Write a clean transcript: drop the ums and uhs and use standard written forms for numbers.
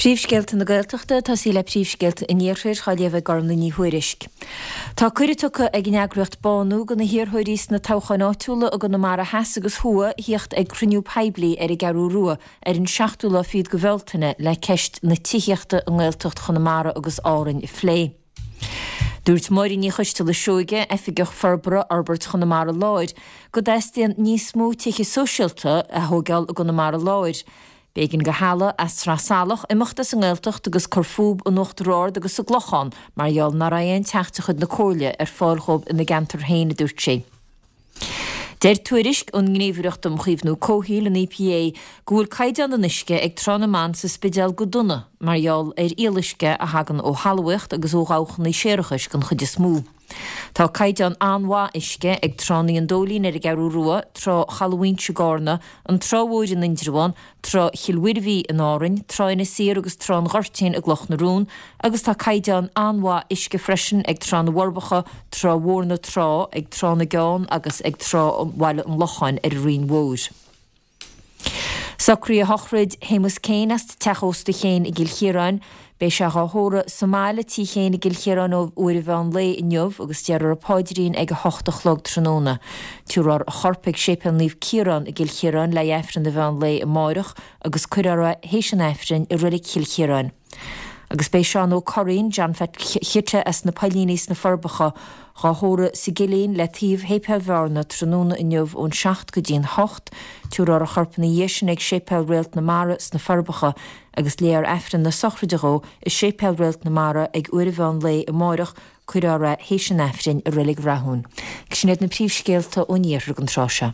Príomhscéalta na Gaeltachta, ag tosaí le príomhscéalta an Iarthair, á léamh ag Gormlaith Ní Thuairisg. Tá cuireadh tugtha ag an eagraíocht Bánú do na hiarrthóirí sna toghcháin áitiúla i gConamara Theas agus Thuaidh a thíocht ag cruinniú poiblí ar an gCeathrú Rua ar an seachtú lá fichead de Bhealtaine le ceist na tithíochta i nGaeltacht Chonamara agus Árainn a phlé. Dúirt Máirín Ní Choisteala Seoige, Oifigeach Forbartha Fhorbairt Chonamara Láir, go dteastaíonn níos mó tithe sóisialta a thóigeáil i gConamara Láir. B'éigean do theaghlaigh as Sraith Salach imeacht as an nGaeltacht agus cur fúb in Uachtar Ard agus sa gClochán mar gheall nach raibh aon teach de chuid na Comhairle ar fáil dhóibh ina gceantar féin, a dúirt sí. Deir tuairisc ón nGníomhaireacht um Chaomhnú Comhshaoil, an EPA, go bhfuil caighdeán an uisce ag Trá na mBan sa Spidéal go dona mar gheall ar fhuíolluisce a thagann ó thalmhaíocht agus ó dhabhchanna séarachais den chuid is mó. Tá caighdeán an-mhaith uisce ag tránna an Dóilín ar an gCeathrú Rua, trá Chaladh Mhaínse i gCarna, an Trá Mhór in Indreabhán, Trá Chill Mhuirbhigh in Árainn, Trá Inis Oírr agus Trá an Ghoirtín i gCloch na Rón, agus tá caighdeán an-mhaith uisce freisin ag Trá na bhForbacha, Trá Mhór na Trá, ag Trá na gCeann agus ag Trá Bhaile an Locháin ar an Rinn Mhór. Socraíodh sochraid Shéamus Kane as Teach Ósta Chéin i gCill Chiaráin. Beidh sé dhá thórramh sa mbaile, Tí Chéin i gCill Chiaráin ó uair an mheán lae inniu agus déarfar an paidrín ag 8 a chlog tráthnóna. Tabharfar a chorp ag Séipéal Naomh Ciarán i gCill Chiaráin le haghaidh Aifreann an mheán lae amáireach agus cuirfear é théis an Aifrinn i Reilig Chill Chiaráin. Agus beidh Seán Ó Curraoin, John Phat Chite as na Poillíní sna Forbacha, dhá thórramh sa gCillín le taobh Shéipéal Bhearna tráthnóna inniu ón 7 go dtí'n 8. Tabharfar a chorp ina dhiaidh sin ag Séipéal Réalt na Mara sna Forbacha agus léifear Aifreann na sochraide dhó i Séipéal Réalt na Mara ag uair an mheán lae amáireach, cuirfear é théis an Aifrinn i Reilig Rathún. Sin iad na príomhscéalta ón iarthar don tráth seo.